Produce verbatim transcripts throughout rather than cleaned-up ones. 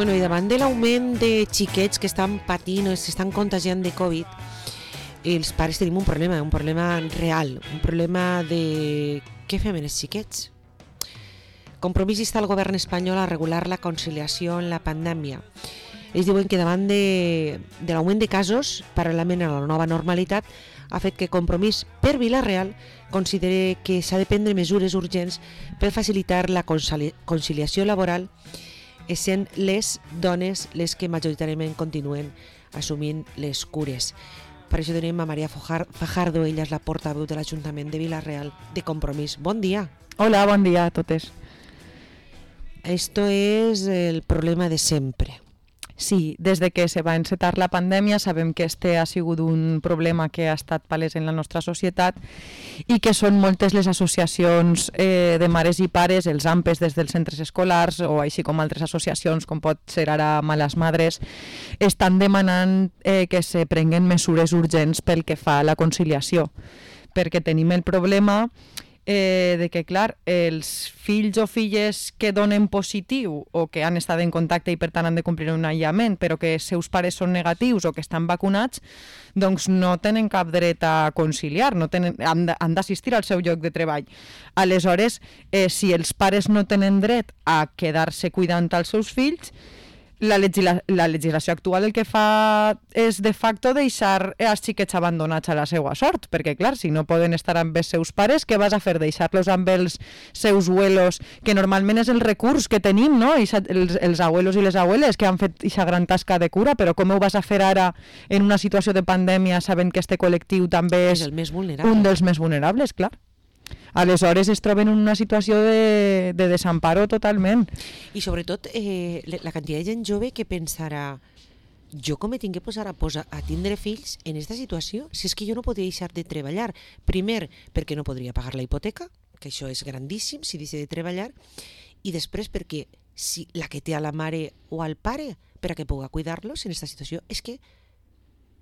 Bueno, i davant de l'augment de xiquets que estan patint o s'estan contagiant de Covid, els pares tenim un problema, un problema real, un problema de què fem amb els xiquets. Compromís insta el govern espanyol a regular la conciliació en la pandèmia. Ells diuen que davant de, de l'augment de casos, paral·lelament a la nova normalitat, ha fet que Compromís per Vila-real consideri que s'ha de prendre mesures urgents per facilitar la conciliació laboral, essent les dones les que majoritàriament continuen assumint les cures. Per això tenim a Maria Fajardo, ella és la portaveu de l'Ajuntament de Vila-real de Compromís. Bon dia. Hola, bon dia a totes. Esto es el problema de sempre. Sí, des de que se va encetar la pandèmia sabem que este ha sigut un problema que ha estat palès en la nostra societat i que són moltes les associacions eh, de mares i pares, els A M P E S des dels centres escolars o així com altres associacions com pot ser ara Malas Madres, estan demanant eh, que se prenguen mesures urgents pel que fa a la conciliació, perquè tenim el problema Eh, de que, clar, els fills o filles que donen positiu o que han estat en contacte i per tant han de complir un aïllament, però que els seus pares són negatius o que estan vacunats, doncs no tenen cap dret a conciliar, no tenen, han d'assistir al seu lloc de treball. Aleshores, eh, si els pares no tenen dret a quedar-se cuidant als seus fills, La, legisla la legislació actual el que fa és de facto deixar els xiquets abandonats a la seva sort, perquè clar, si no poden estar amb els seus pares, què vas a fer? Deixar-los amb els seus abuelos, que normalment és el recurs que tenim, no? Ixa, els, els abuelos i les abueles que han fet aquesta gran tasca de cura, però com ho vas a fer ara en una situació de pandèmia sabent que este col·lectiu també és, és el més vulnerable. Un dels més vulnerables, clar. Aleshores es troben en una situació de, de desamparo totalment. I sobretot eh, la quantitat de gent jove que pensarà, jo com me tinc que posar a, posar, a tindre fills en aquesta situació, si és que jo no podria deixar de treballar. Primer, perquè no podria pagar la hipoteca, que això és grandíssim si deixa de treballar, i després perquè si la que té a la mare o al pare per a que pugui cuidar-los en aquesta situació, és que,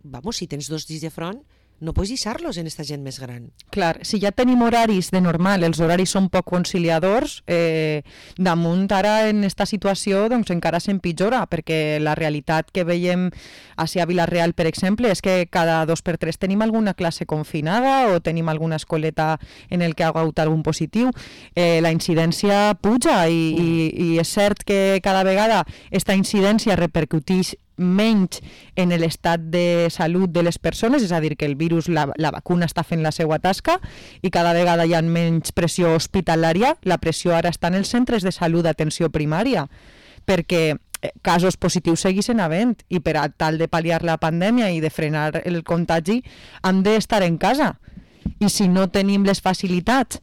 vamos, si tens dos dits de front, no pots deixar-los en aquesta gent més gran. Clar, si ja tenim horaris de normal, els horaris són poc conciliadors, eh, damunt ara en aquesta situació doncs encara s'empitjora, perquè la realitat que veiem a Vila-real, per exemple, és que cada dos per tres tenim alguna classe confinada o tenim alguna escoleta en el que ha hagut algun positiu. Eh, la incidència puja i, mm. i, i és cert que cada vegada aquesta incidència repercuteix menys en l'estat de salut de les persones, és a dir, que el virus, la, la vacuna està fent la seva tasca i cada vegada hi ha menys pressió hospitalària. La pressió ara està en els centres de salut d'atenció primària, perquè casos positius segueixen havent i per a tal de pal·liar la pandèmia i de frenar el contagi han d'estar en casa. I si no tenim les facilitats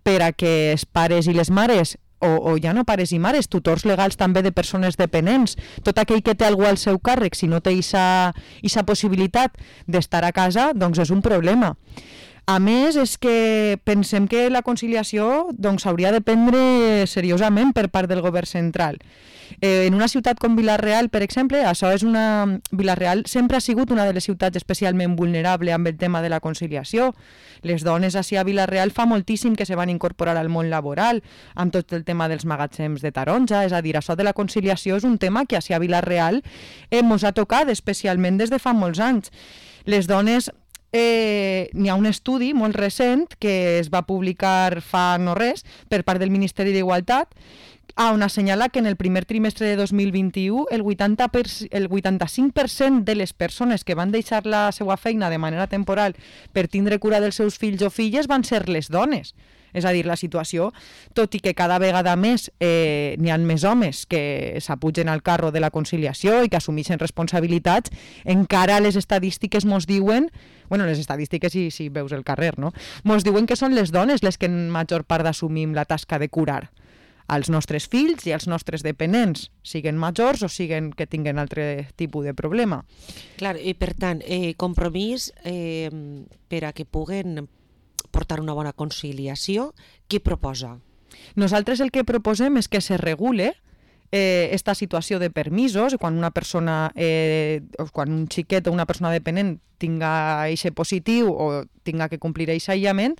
per a que els pares i les mares O, o ja no pares i mares, tutors legals també de persones dependents, tot aquell que té algú al seu càrrec, si no té aquesta possibilitat d'estar a casa, doncs és un problema. A més, és que pensem que la conciliació doncs, hauria de prendre seriosament per part del govern central. Eh, en una ciutat com Vila-real, per exemple, això és una... Vila-real sempre ha sigut una de les ciutats especialment vulnerable amb el tema de la conciliació. Les dones així a Vila-real fa moltíssim que se van incorporar al món laboral, amb tot el tema dels magatzems de taronja, és a dir, això de la conciliació és un tema que així a Vila-real eh, mos ha tocat especialment des de fa molts anys. Les dones... Eh, n'hi ha un estudi molt recent que es va publicar fa no res per part del Ministeri d'Igualtat on assenyala que en el primer trimestre de dos mil vint-i-u el, vuitanta per cent, el vuitanta-cinc per cent de les persones que van deixar la seva feina de manera temporal per tindre cura dels seus fills o filles van ser les dones. És a dir, la situació, tot i que cada vegada més eh, n'hi ha més homes que s'apugen al carro de la conciliació i que assumeixen responsabilitats, encara les estadístiques mos diuen, bueno, les estadístiques si, si veus el carrer, no? Mos diuen que són les dones les que en major part assumim la tasca de curar als nostres fills i als nostres dependents, siguen majors o siguen que tinguen altre tipus de problema. Clar, i per tant, eh, compromís eh, per a que puguen portar una bona conciliació, què proposa? Nosaltres el que proposem és que se regule eh, esta situació de permisos, quan una persona, eh, quan un xiquet o una persona dependent tinga eixe positiu o tinga que complir eixe aïllament,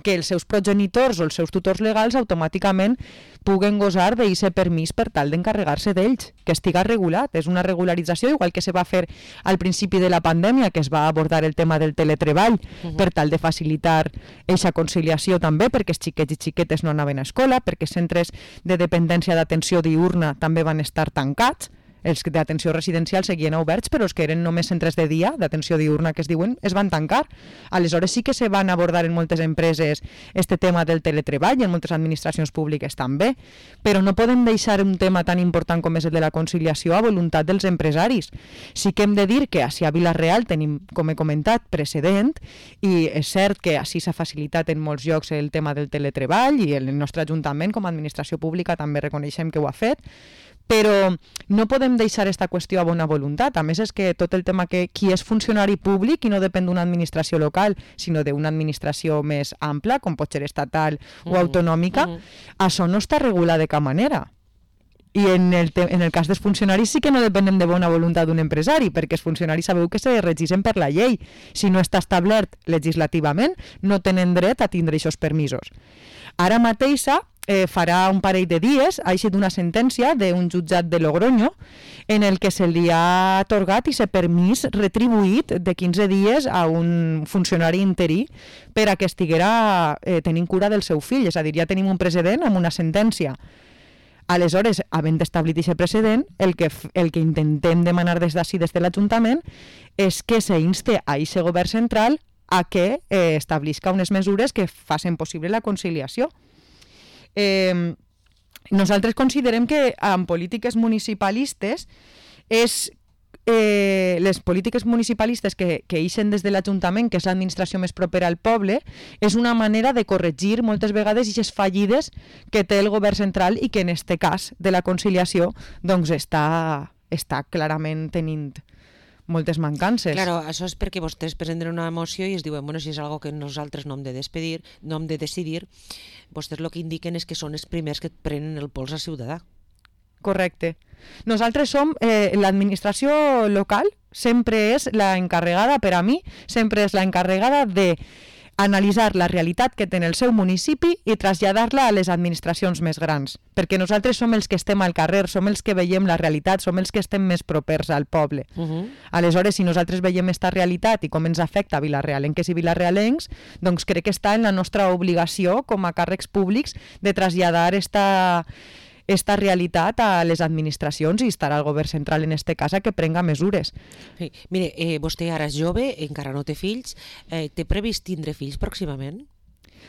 que els seus progenitors o els seus tutors legals automàticament puguen gosar d'eixe permís per tal d'encarregar-se d'ells, que estiga regulat. És una regularització, igual que se va fer al principi de la pandèmia, que es va abordar el tema del teletreball, uh-huh. per tal de facilitar eixa conciliació també, perquè els xiquets i xiquetes no anaven a escola, perquè centres de dependència d'atenció diurna també van estar tancats, els d'atenció residencial seguien oberts, però els que eren només centres de dia, d'atenció diurna que es diuen, es van tancar. Aleshores sí que se van abordar en moltes empreses este tema del teletreball i en moltes administracions públiques també, però no podem deixar un tema tan important com és el de la conciliació a voluntat dels empresaris. Sí que hem de dir que així a Vila-real tenim, com he comentat, precedent, i és cert que així s'ha facilitat en molts llocs el tema del teletreball i el nostre Ajuntament com a administració pública també reconeixem que ho ha fet, però no podem deixar aquesta qüestió a bona voluntat. A més, és que tot el tema que qui és funcionari públic i no depèn d'una administració local, sinó d'una administració més ampla, com pot ser estatal o autonòmica, mm -hmm. això no està regulat de cap manera. I en el, en el cas dels funcionaris sí que no depenem de bona voluntat d'un empresari, perquè els funcionaris sabeu que se regeixen per la llei. Si no està establert legislativament, no tenen dret a tindre aquests permisos. Ara mateixa, eh, farà un parell de dies, ha eixit una sentència d'un jutjat de Logroño en el que se li ha atorgat aquest permís retribuït de quinze dies a un funcionari interí per a que estiguera eh, tenint cura del seu fill. És a dir, ja tenim un precedent amb una sentència. Aleshores, havent establit aquest precedent, el que, el que intentem demanar des d'ací, des de l'Ajuntament, és que s'inste a aquest govern central a que eh, establisca unes mesures que facin possible la conciliació. Eh, nosaltres considerem que en polítiques municipalistes és eh, les polítiques municipalistes que, que ixen des de l'Ajuntament, que és l'administració més propera al poble, és una manera de corregir moltes vegades aquestes fallides que té el govern central i que en este cas de la conciliació doncs està, està clarament tenint moltes mancances. Claro, això és perquè vostès presenten una moció i es diuen, bueno, si és algo que nosaltres no hem de despedir, no hem de decidir, vostès el que indiquen és que són els primers que prenen el pols al ciutadà. Correcte. Nosaltres som, eh, l'administració local sempre és la encarregada, per a mi, sempre és la encarregada de analitzar la realitat que té en el seu municipi i traslladar-la a les administracions més grans, perquè nosaltres som els que estem al carrer, som els que veiem la realitat, som els que estem més propers al poble. Uh-huh. Aleshores, si nosaltres veiem aquesta realitat i com ens afecta a Vila-realenques i vilarealencs, doncs crec que està en la nostra obligació com a càrrecs públics de traslladar esta... esta realitat a les administracions i estarà el govern central en este cas a que prenga mesures. Sí. Mire, eh, vostè ara és jove, encara no té fills, eh, té previst tindre fills pròximament?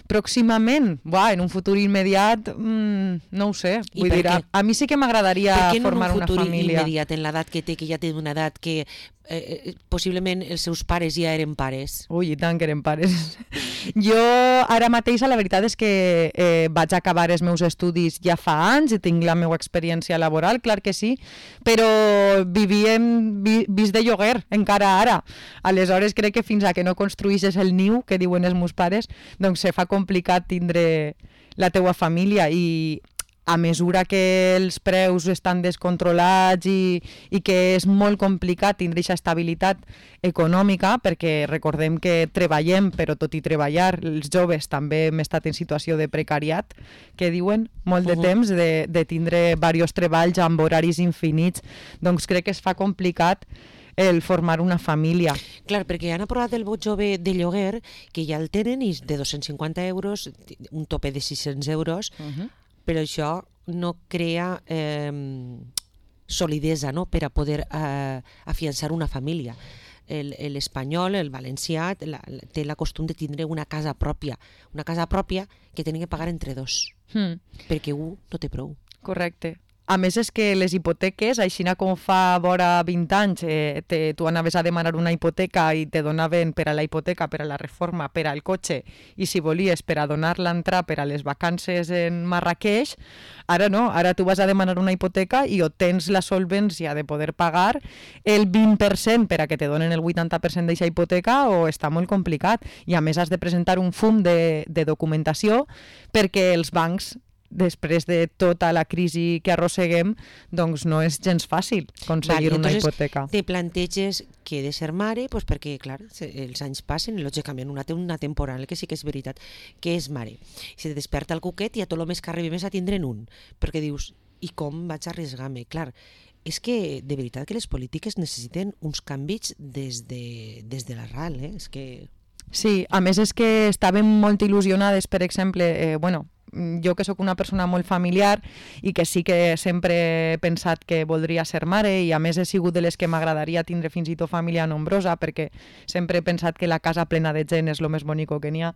Pròximament? Buah, en un futur immediat, mmm, no ho sé. Vull dir, a, a mi sí que m'agradaria formar una família. Per què en un futur immediat, en l'edat que té, que ja té una edat que eh, possiblement els seus pares ja eren pares? Ui, i tant que eren pares. Jo ara mateix la veritat és que eh, vaig acabar els meus estudis ja fa anys i tinc la meva experiència laboral, clar que sí, però vivíem vi, vist de lloguer encara ara. Aleshores crec que fins a que no construïsses el niu, que diuen els meus pares, doncs se fa complicat tindre la teua família i a mesura que els preus estan descontrolats i, i que és molt complicat tindre aquesta estabilitat econòmica, perquè recordem que treballem, però tot i treballar, els joves també hem estat en situació de precariat, que diuen molt de uh-huh. temps, de, de tindre diversos treballs amb horaris infinits, doncs crec que es fa complicat el formar una família. Clar, perquè han aprovat el vot jove de lloguer, que ja el tenen, i de dos-cents cinquanta euros, un tope de sis-cents euros, uh-huh. però això no crea eh, solidesa, no?, per a poder eh, afiançar una família. L'espanyol, el valencià, la, té la costum de tindre una casa pròpia, una casa pròpia que tenen que pagar entre dos, hmm. perquè un no té prou. Correcte. A més, és que les hipoteques, així com fa vora vint anys, eh, te, tu anaves a demanar una hipoteca i te donaven per a la hipoteca, per a la reforma, per al cotxe, i si volies per a donar-la entrar per a les vacances en Marrakeix, ara no, ara tu vas a demanar una hipoteca i o tens la solvència de poder pagar el vint per cent per a que te donen el vuitanta per cent d'aquesta hipoteca o està molt complicat. I a més has de presentar un fum de, de documentació perquè els bancs després de tota la crisi que arrosseguem, doncs no és gens fàcil aconseguir vale, una entonces, hipoteca. Te planteges que he de ser mare, pues perquè, clar, els anys passen i lògicament una té una temporal, que sí que és veritat, que és mare. Si te desperta el cuquet i a tot el més que arribi més a tindre'n un, perquè dius, i com vaig arriesgar-me? Clar, és que de veritat que les polítiques necessiten uns canvis des de, des de l'arrel, eh? És que... Sí, a més és que estàvem molt il·lusionades, per exemple, eh, bueno, jo que sóc una persona molt familiar i que sí que sempre he pensat que voldria ser mare i a més he sigut de les que m'agradaria tindre fins i tot família nombrosa perquè sempre he pensat que la casa plena de gent és el més bonico que n'hi ha.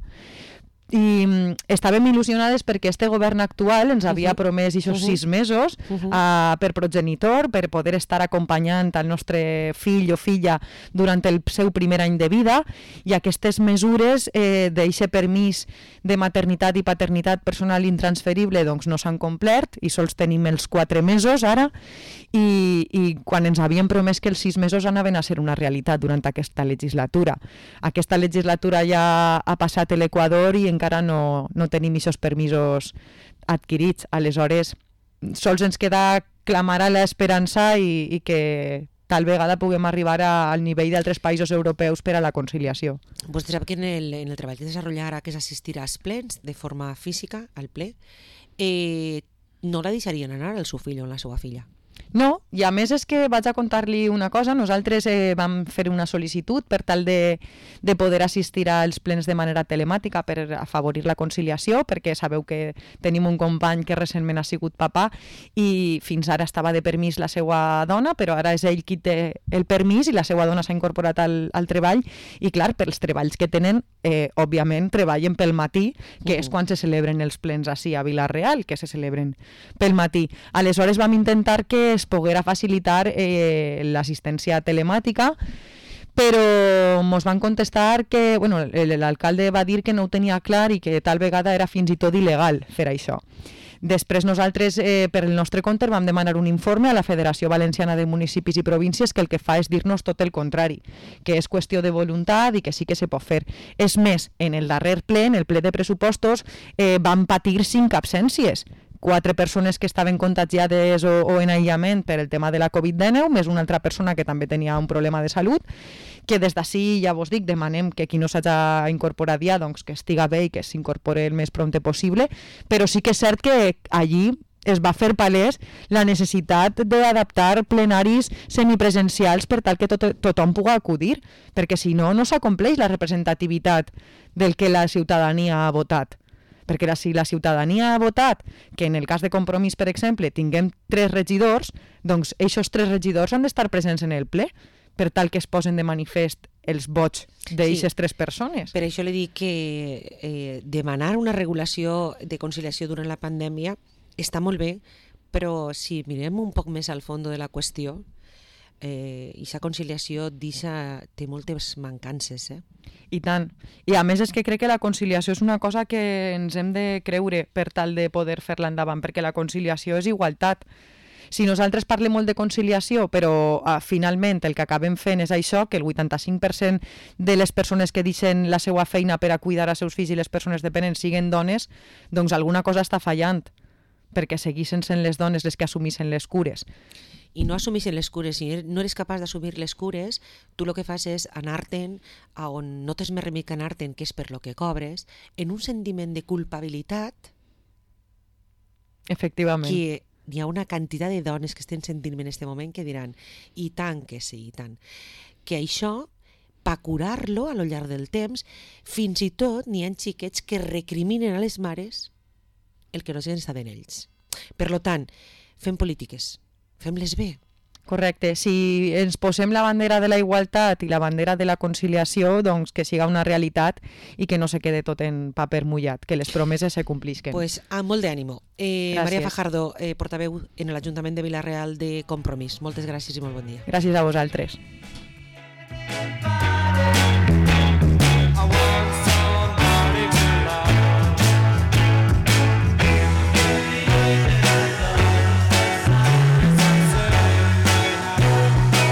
I estàvem il·lusionades perquè este govern actual ens havia uh-huh. promès aquests uh-huh. sis mesos uh-huh. uh, per progenitor, per poder estar acompanyant el nostre fill o filla durant el seu primer any de vida, i aquestes mesures eh, d'aquest permís de maternitat i paternitat personal intransferible doncs no s'han complert i sols tenim els quatre mesos ara, i, i quan ens havien promès que els sis mesos anaven a ser una realitat durant aquesta legislatura. Aquesta legislatura ja ha passat a l'Equador i encara no, no tenim aquests permisos adquirits. Aleshores, sols ens queda clamar a l'esperança i, i que tal vegada puguem arribar a, al nivell d'altres països europeus per a la conciliació. Vostè sap que en el, en el treball que desenvolupar ara, que és assistir als plens de forma física, al ple, eh, no la deixarien anar al seu fill o a la seva filla? No, i a més és que vaig a contar-li una cosa. Nosaltres eh, vam fer una sol·licitud per tal de, de poder assistir als plens de manera telemàtica per afavorir la conciliació, perquè sabeu que tenim un company que recentment ha sigut papà i fins ara estava de permís la seva dona, però ara és ell qui té el permís i la seva dona s'ha incorporat al, al treball i clar, pels treballs que tenen, eh, òbviament treballen pel matí, que uh-huh. és quan se celebren els plens així a Vila-real, que se celebren pel matí. Aleshores vam intentar que es poguera facilitar eh, l'assistència telemàtica, però ens van contestar que bueno, l'alcalde va dir que no ho tenia clar i que tal vegada era fins i tot il·legal fer això. Després nosaltres, eh, per el nostre compte, vam demanar un informe a la Federació Valenciana de Municipis i Províncies que el que fa és dir-nos tot el contrari, que és qüestió de voluntat i que sí que se pot fer. És més, en el darrer ple, en el ple de pressupostos, eh, van patir cinc absències. Quatre persones que estaven contagiades o, o en aïllament per el tema de la covid dinou, més una altra persona que també tenia un problema de salut, que des d'ací, ja vos dic, demanem que qui no s'hagi incorporat ja, doncs que estiga bé i que s'incorpore el més prompte possible, però sí que és cert que allí es va fer palès la necessitat d'adaptar plenaris semipresencials per tal que tot, tothom pugui acudir, perquè si no, no s'acompleix la representativitat del que la ciutadania ha votat. Perquè la, si la ciutadania ha votat que en el cas de Compromís, per exemple, tinguem tres regidors, doncs aquests tres regidors han d'estar presents en el ple per tal que es posen de manifest els vots d'aquestes sí. tres persones. Per això li dic que eh, demanar una regulació de conciliació durant la pandèmia està molt bé, però si mirem un poc més al fons de la qüestió, eh, aquesta conciliació deixa, té moltes mancances, eh? I tant. I a més és que crec que la conciliació és una cosa que ens hem de creure per tal de poder fer-la endavant, perquè la conciliació és igualtat. Si nosaltres parlem molt de conciliació, però uh, finalment el que acabem fent és això, que el vuitanta-cinc per cent de les persones que deixen la seva feina per a cuidar els seus fills i les persones dependents siguen dones, doncs alguna cosa està fallant, perquè seguissin sent les dones les que assumissin les cures. I no assumeixen les cures, si no eres capaç d'assumir les cures, tu el que fas és anar-te'n a on no tens més remei que anar-te'n, que és per lo que cobres, en un sentiment de culpabilitat. Efectivament. Que hi ha una quantitat de dones que estan sentint en aquest moment que diran, i tant que sí, i tant. Que això, per curar-lo a lo llarg del temps, fins i tot n'hi ha xiquets que recriminen a les mares el que no s'han estat en ells. Per tant, fem polítiques. Fem-les bé. Correcte. Si ens posem la bandera de la igualtat i la bandera de la conciliació, doncs que siga una realitat i que no se quede tot en paper mullat, que les promeses se complisquen. Pues amb molt d'ànimo. Eh, Maria Fajardo, eh, portaveu en l'Ajuntament de Vila-real de Compromís. Moltes gràcies i molt bon dia. Gràcies a vosaltres.